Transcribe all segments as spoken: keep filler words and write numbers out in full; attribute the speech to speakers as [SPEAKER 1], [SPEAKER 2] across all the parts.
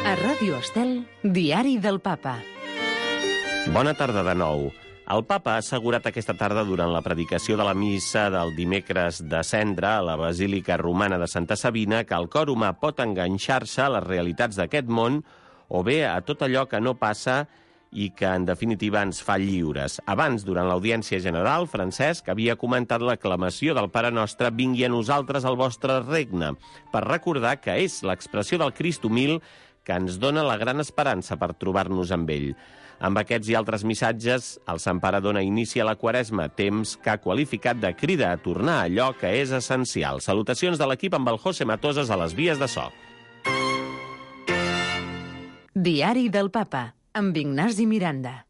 [SPEAKER 1] A Ràdio Estel, Diari del Papa.
[SPEAKER 2] Bona tarda de nou. El papa ha assegurat aquesta tarda durant la predicació de la missa del dimecres de Cendra a la Basílica Romana de Santa Sabina que el cor humà pot enganxar-se a les realitats d'aquest món o bé a tot allò que no passa i que, en definitiva, ens fa lliures. Abans, durant l'audiència general, Francesc havia comentat l'aclamació del Pare Nostre «Vingui a nosaltres el vostre regne», per recordar que és l'expressió del Crist humil que ens dona la gran esperança per trobar-nos amb ell. Amb aquests i altres missatges, el Sant Pare dona inici a la Quaresma, temps que ha qualificat de crida a tornar a allò que és essencial. Salutacions de l'equip amb el José Matosas a les vies de so.
[SPEAKER 1] Diari del Papa, amb Ignasi Miranda.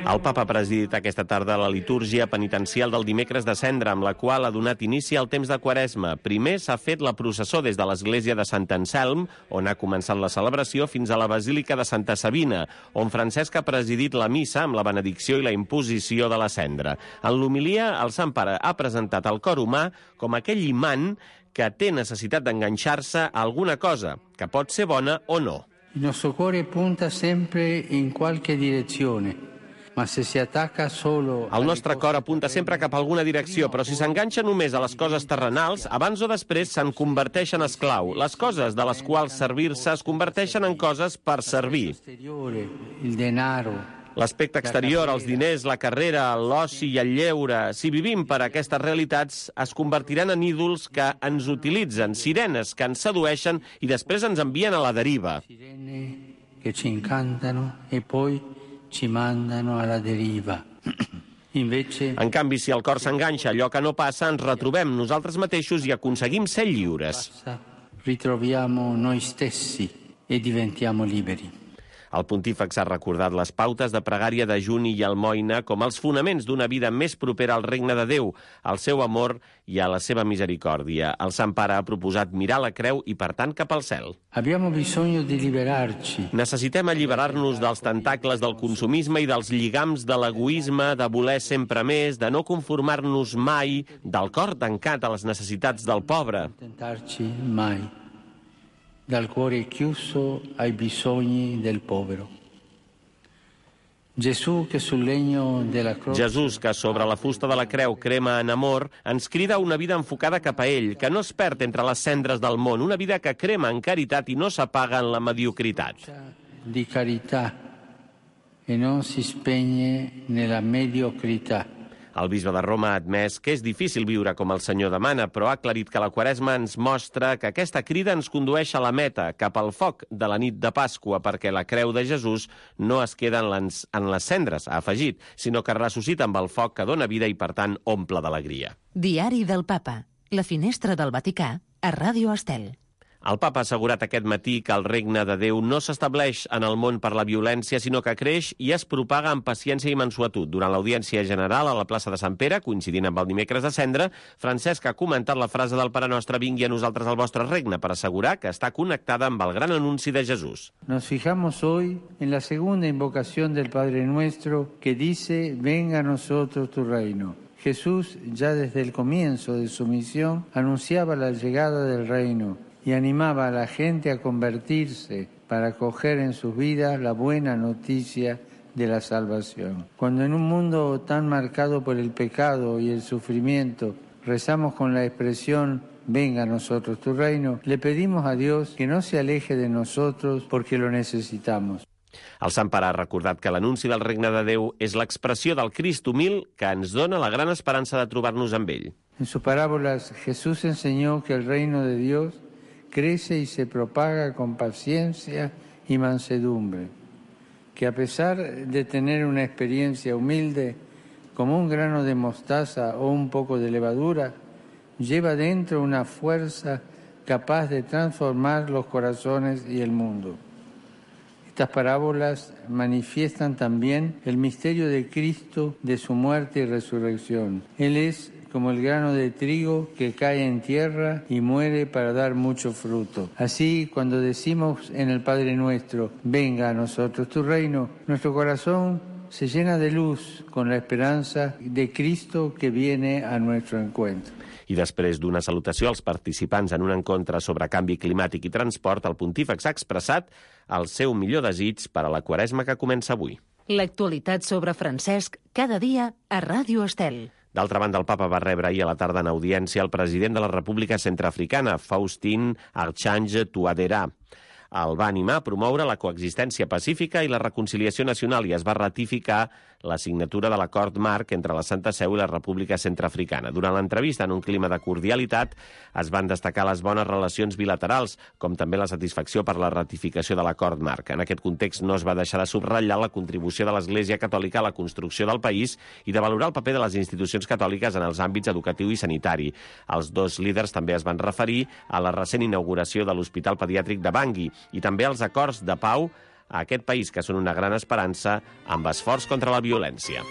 [SPEAKER 2] El papa ha presidit aquesta tarda la litúrgia penitencial del dimecres de Cendra, amb la qual ha donat inici al temps de Quaresma. Primer s'ha fet la processó des de l'església de Sant Anselm, on ha començat la celebració, fins a la Basílica de Santa Sabina, on Francesc ha presidit la missa amb la benedicció i la imposició de la cendra. En l'homilia, el Sant Pare ha presentat el cor humà com aquell imant que té necessitat d'enganxar-se a alguna cosa, que pot ser bona o no.
[SPEAKER 3] Il nostro cuore punta sempre in qualche direzione.
[SPEAKER 2] El nostre cor apunta sempre cap a alguna direcció, però si s'enganxa només a les coses terrenals, abans o després se'n converteix en esclau. Les coses de les quals servir-se es converteixen en coses per servir. L'aspecte exterior, els diners, la carrera, l'oci i el lleure, si vivim per aquestes realitats, es convertiran en ídols que ens utilitzen, sirenes que ens sedueixen i després ens envien a la deriva.
[SPEAKER 3] Que ci incantano e poi ci mandano alla deriva. Invece...
[SPEAKER 2] En canvi, si el cor s'enganxa a allò que no passa, ens retrobem nosaltres mateixos i aconseguim ser lliures.
[SPEAKER 3] Ritroviamo noi stessi e diventiamo liberi.
[SPEAKER 2] El pontífex ha recordat les pautes de pregària, dejuni i almoina com els fonaments d'una vida més propera al regne de Déu, al seu amor i a la seva misericòrdia. El Sant Pare ha proposat mirar la creu i, per tant, cap al cel.
[SPEAKER 3] Abbiamo bisogno di liberarci.
[SPEAKER 2] Necessitem alliberar-nos dels tentacles del consumisme i dels lligams de l'egoisme, de voler sempre més, de no conformar-nos mai, del cor tancat a les necessitats del pobre.
[SPEAKER 3] Tentarci mai. Dal cuore chiuso ai bisogni del povero. Gesù che sul legno della croce...
[SPEAKER 2] Jesús, que sobre la fusta de la creu crema en amor, ens crida a una vida enfocada cap a ell, que no es perd entre les cendres del món, una vida que crema en caritat i no s'apaga en la mediocritat.
[SPEAKER 3] Di carità e non si spegne nella mediocrità.
[SPEAKER 2] El bisbe de Roma ha admès que és difícil viure com el Senyor demana, però ha aclarit que la Quaresma ens mostra que aquesta crida ens condueix a la meta, cap al foc de la nit de Pasqua, perquè la creu de Jesús no es queda en les, en les cendres, ha afegit, sinó que ressuscita amb el foc que dona vida i, per tant, omple d'alegria.
[SPEAKER 1] Diari del Papa, la finestra del Vaticà, a Ràdio Estel.
[SPEAKER 2] El papa ha assegurat aquest matí que el regne de Déu no s'estableix en el món per la violència, sinó que creix i es propaga amb paciència i mansuetud. Durant l'audiència general a la plaça de Sant Pere, coincidint amb el dimecres de Cendra, Francesc ha comentat la frase del Pare Nostre «Vingui a nosaltres el vostre regne» per assegurar que està connectada amb el gran anunci de Jesús.
[SPEAKER 3] Nos fijamos hoy en la segunda invocación del Padre Nuestro que dice «Venga a nosotros tu reino». Jesús, ya desde el comienzo de su misión, anunciaba la llegada del reino y animaba a la gente a convertirse para acoger en sus vidas la buena noticia de la salvación. Cuando en un mundo tan marcado por el pecado y el sufrimiento rezamos con la expresión «Venga a nosotros tu reino», le pedimos a Dios que no se aleje de nosotros porque lo necesitamos.
[SPEAKER 2] El Sant Pare ha recordat que l'anunci del regne de Déu és l'expressió del Crist humil que ens dona la gran esperança de trobar-nos amb ell.
[SPEAKER 3] En sus parábolas Jesús enseñó que el reino de Dios crece y se propaga con paciencia y mansedumbre, que a pesar de tener una experiencia humilde, como un grano de mostaza o un poco de levadura, lleva dentro una fuerza capaz de transformar los corazones y el mundo. Estas parábolas manifiestan también el misterio de Cristo, de su muerte y resurrección. Él es como el grano de trigo que cae en tierra y muere para dar mucho fruto. Así, cuando decimos en el Padre Nuestro, venga a nosotros tu reino, nuestro corazón se llena de luz con la esperanza de Cristo que viene a nuestro encuentro.
[SPEAKER 2] I després d'una salutació als participants en un encontre sobre canvi climàtic i transport, el pontífex ha expressat el seu millor desig per a la Quaresma que comença avui.
[SPEAKER 1] L'actualitat sobre Francesc cada dia a Ràdio Estel.
[SPEAKER 2] D'altra banda, el papa va rebre ahir a la tarda en audiència el president de la República Centreafricana, Faustin Archange Touadéra. El va animar a promoure la coexistència pacífica i la reconciliació nacional i es va ratificar la signatura de l'acord marc entre la Santa Seu i la República Centreafricana. Durant l'entrevista, en un clima de cordialitat, es van destacar les bones relacions bilaterals, com també la satisfacció per la ratificació de l'acord marc. En aquest context no es va deixar de subratllar la contribució de l'Església Catòlica a la construcció del país i de valorar el paper de les institucions catòliques en els àmbits educatiu i sanitari. Els dos líders també es van referir a la recent inauguració de l'Hospital Pediàtric de Bangui i també als acords de pau a aquest país, que són una gran esperança amb esforç contra la violència.